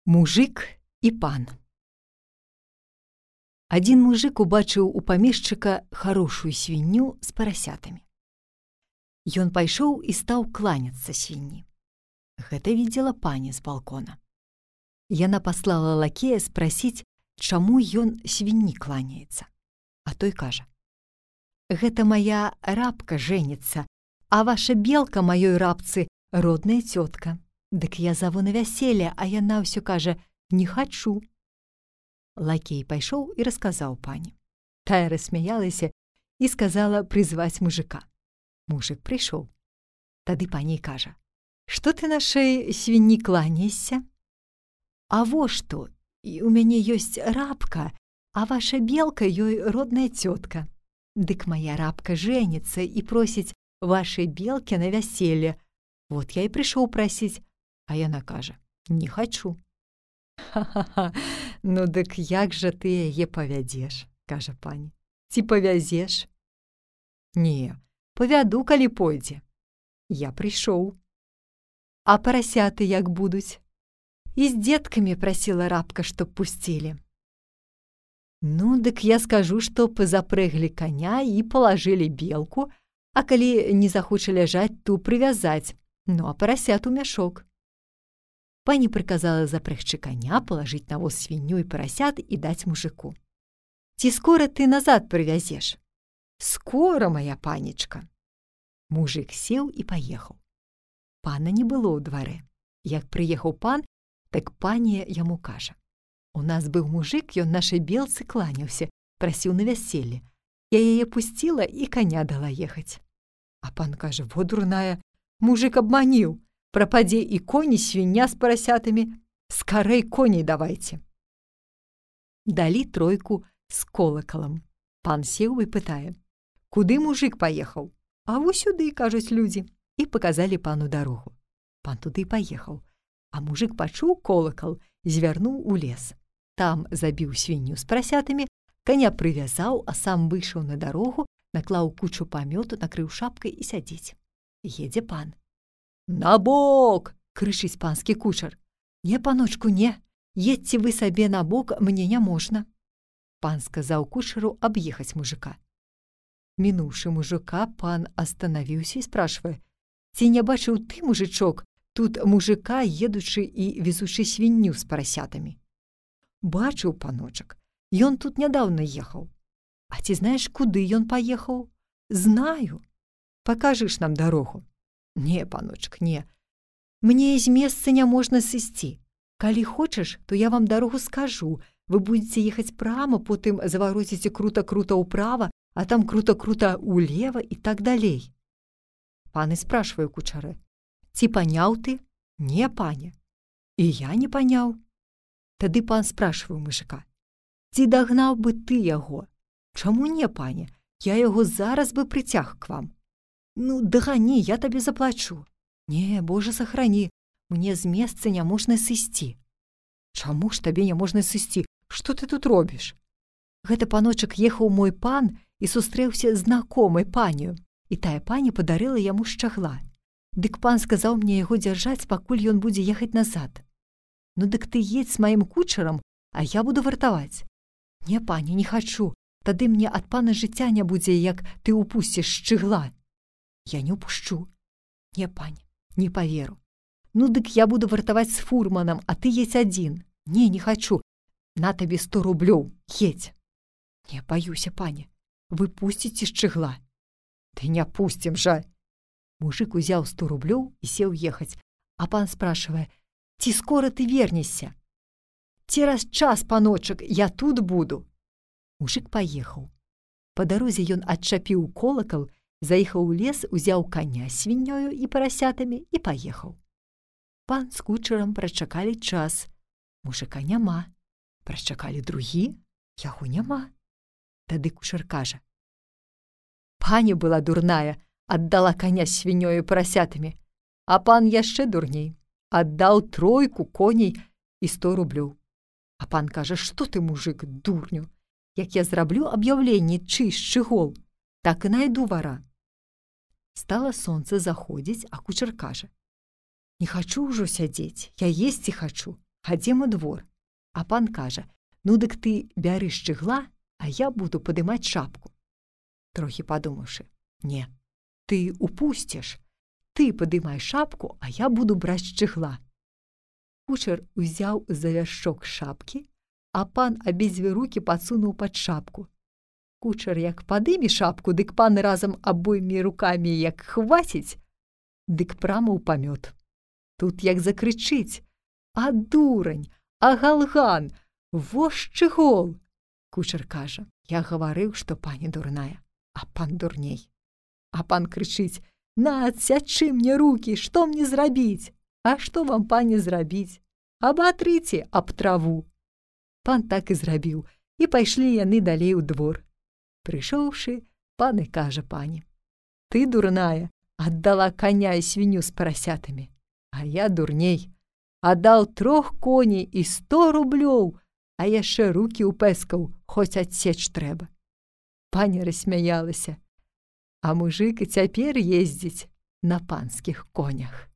Мужик і пан. Адзін мужик убачыў у памешчыка харошую свінню з парасятамі. Ён пайшоў і стаў кланяцца свінні. Гэта видела пані з балкона. Яна паслала лакея спрасіць, чаму ён свінні кланяецца. А той кажа: «Гэта моя рабка жэніцца, а ваша белка маёй рабцы родная цётка. Дык я заву на вяселле, а яна ўсё кажа: не хачу». Лакей пайшоў і расказаў пані. Тая рассмяялася і сказала прызваць мужика. Мужик прыйшоў. Тады пані кажа: «Што ты нашай свінні кланяешся? А во што, у мяне ёсць рабка, а ваша белка ёй родная цётка. Дык моя рабка жэніцца і просіць вашай белкі на вяселле. Вот я і прыйшоў прасіць, а яна кажа: не хачу». «Ха-ха-ха, ну дык як жа ты яе павядзеш?» – кажа пані. «Ці павязеш?» «Не, павяду, калі пойдзе». Я прыйшоў. «А парасяты як будуць?» «І з дзеткамі прасіла рабка, чтоб пусцілі». «Ну, дык я скажу, што запрэглі коня і палажылі белку, а калі не захоча ляжаць, то прывязаць, ну а парасят у мяшок». Пані прыказала запрэгчы коня, палажыць на воз свінню і парасят і даць мужику. «Ці скора ты назад прывязеш?» «Скора, моя панечка». Мужик сеў і паехаў. Пана не было ў дварэ. Як прыехаў пан, так пані яму кажа: «У нас быў мужик, ён нашай белцы кланяўся, прасіў на вяселле. Я яе пусціла і коня дала ехаць». А пан кажа: «Во дурная, мужик абманіў. Прападзе і коні, свіння з парасятамі. Скарэй коней давайце». Далі тройку з колакалам. Пан сеў і пытае: «Куды мужик паехаў?» «А вось сюды», кажуць людзі, і паказалі пану дарогу. Пан туды паехаў, а мужик пачуў колакал, звярнуў у лес. Там забіў свінню з парасятамі, коня прывязаў, а сам выйшаў на дарогу, наклаў кучу памёту, накрыў шапкай і сядзіць. Едзе пан. «Набок!» – крычыць панскі кучар. «Не, паночку, не, едьце вы сабе на бок, мне не можна». Пан сказаў кучару аб'ехаць мужика. Мінуўшы мужика, пан астанавіўся і спрашвае: «Ці не бачыў ты, мужичок, тут мужика, едучы і везучы свінню з парасятамі?» «Бачыў, паночак, ён тут нядаўна ехаў». «А ці знаеш, куды ён паехаў?» «Знаю». «Пакажыш нам дарогу?» «Не, паночак, не. Мне з месца не можна сысці. Калі хочаш, то я вам дарогу скажу. Вы будзеце ехаць прама, потым завароціце крута-крута ўправа, а там крута-крута ўлева і так далей». Пан і спрашвае кучары: «Ці паняў ты?» «Не, пане». «І я не паняў». Тады пан спрашвае мужика: «Ці дагнаў бы ты яго?» «Чаму не, пане? Я яго зараз бы прыцяг к вам». «Ну, дагані, я табе заплачу». «Не, Боже, сохрані, мне з месца не можна сысці». «Чаму ж табе не можна сысці? Што ты тут робіш?» «Гэта, паночак, ехаў мой пан і сустрэўся з знакомай панію, і тая пані падарыла яму шчагла. Дык пан сказаў мне яго дзяржаць, пакуль ён будзе ехаць назад». «Ну, дык ты едзь з маім кучарам, а я буду вартаваць». «Не, пані, не хачу, тады мне ад пана жыцця не будзе, як ты упусціш шчыгла». «Я не упушчу». «Не, пані, не паверу». «Ну, дык я буду вартаваць з фурманам, а ты едзь адзін». «Не, не хачу. На табе 100 рублёў, едзь». «Не, баюся, пані, вы пусціце шчыгла». «Ты не пусцім жа». Мужик узяў 100 рублёў і сеў ехаць, а пан спрашвае: «Ці скора ты вернешся?» «Цераз час, паночак, я тут буду». Мужик паехаў. Па дарозе ён адчапіў колакал, заехаў у лес, узяў коня з свіннёю і парасятамі і паехаў. Пан з кучарам прачакалі час. Мужика няма. Прачакалі другі, яго няма. Тады кучар кажа: «Пані была дурная, аддала коня з свіннёю і парасятамі, а пан яшчэ дурней, аддаў тройку коней і 100 рублёў». А пан кажа: «Што ты, мужик, дурню? Як я зраблю аб'яўленне, чый шчыгол, так і найду вара». Стала сонца заходзіць, а кучар кажа: «Не хачу ўжо сядзець, я есці хачу. Хадзем у двор. А пан кажа: ну дык ты бяры шчыгла, а я буду падымаць шапку. Трохі падумаўшы: не, ты упусціш. Ты падымай шапку, а я буду браць шчыгла. Кучар узяў за вяршок шапкі, а пан абедзве рукі падсунуў пад шапку. Кучар як падыме шапку, дык пан разам абоймі рукамі як хваціць, дык прама ў памёт. Тут як закрычыць: а дурань, а галган, во шчыгол! Кучар кажа: я гаварыў, што пані дурная, а пан дурней. А пан крычыць: на, адсячы мне рукі, што мне зрабіць? А што вам, пані, зрабіць? Абатрыце аб траву. Пан так і зрабіў, і пайшлі яны далей у двор. Прыйшоўшы, пан і кажа пані: ты, дурная, аддала каня і свінню з парасятамі, а я дурней. Аддаў 3 коней і 100 рублёў, а яшчэ рукі ўпэскаў, хоць адсеч трэба. Пані рассмяялася, а мужык і цяпер ездзіць на панскіх конях.